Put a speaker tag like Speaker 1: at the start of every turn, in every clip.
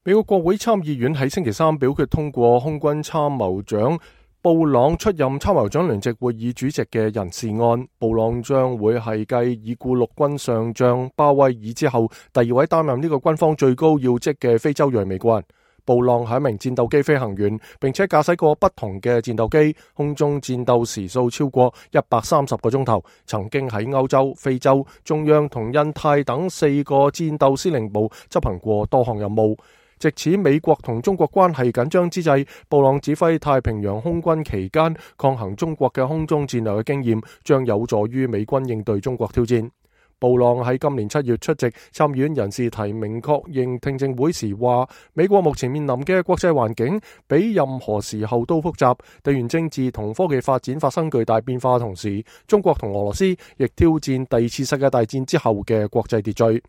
Speaker 1: 美國國會參議院喺星期三表決通過空軍參謀長布朗出任參謀長聯席會議主席嘅人事案。布朗將會係繼已故陸軍上將鮑威爾之後第二位擔任呢個軍方最高要職嘅非洲裔美國人。布朗係一名戰鬥機飛行員，並且駕駛過不同嘅戰鬥機，空中戰鬥時數超過130個鐘頭，曾經喺歐洲、非洲、中央同印太等4個戰鬥司令部執行過多項任務。藉此美國同中國關係緊張之際，布朗指揮太平洋空軍期間抗衡中國嘅空中戰略嘅經驗，將有助於美軍應對中國挑戰。布朗喺今年7月出席參議院人事提名確認聽證會時話，美國目前面臨嘅國際環境比任何時候都複雜，地緣政治同科技發展發生巨大變化，同時中國同俄羅斯亦挑戰第二次世界大戰之後嘅國際秩序。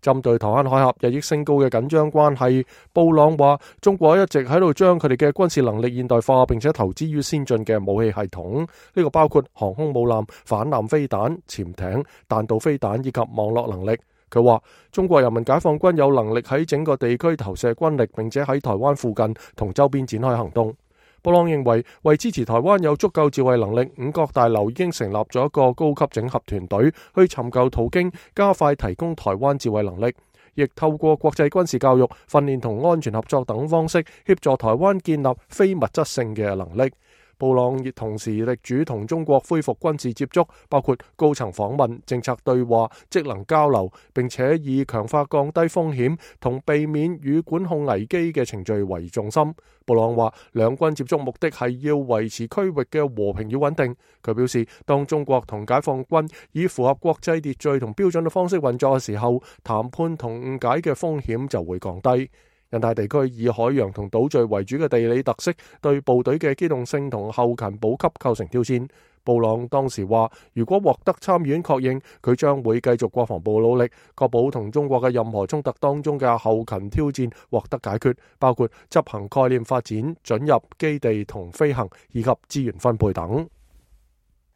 Speaker 1: 針對台灣海峽日益升高嘅緊張關係，布朗話中國一直喺度將佢哋嘅軍事能力現代化，並且投資於先進嘅武器系統，呢個包括航空母艦、反艦飛彈、潛艇、彈道飛彈以及網絡能力。佢話中國人民解放軍有能力喺整個地區投射軍力，並且喺台灣附近同周邊展開行動。布朗認為，為支持台灣有足夠自衛能力，五角大樓已經成立咗一個高級整合團隊，去尋求途徑加快提供台灣自衛能力，亦透過國際軍事教育、訓練同安全合作等方式協助台灣建立非物質性嘅能力。布朗亦同時力主同中國恢復軍事接觸，包括高層訪問、政策對話、職能交流，並且以強化降低風險同避免與管控危機嘅程序為重心。布朗話，兩軍接觸目的係要維持區域嘅和平與穩定。佢表示，當中國同解放軍以符合國際秩序同標準嘅方式運作嘅時候，談判同誤解嘅風險就會降低。印太地區以海洋同島嶼為主嘅地理特色，對部隊嘅機動性同後勤補給構成挑戰。布朗當時話，如果獲得參議院確認，佢將會繼續國防部努力，確保同中國嘅任何衝突當中嘅後勤挑戰獲得解決，包括執行概念發展、准入基地同飛行以及資源分配等。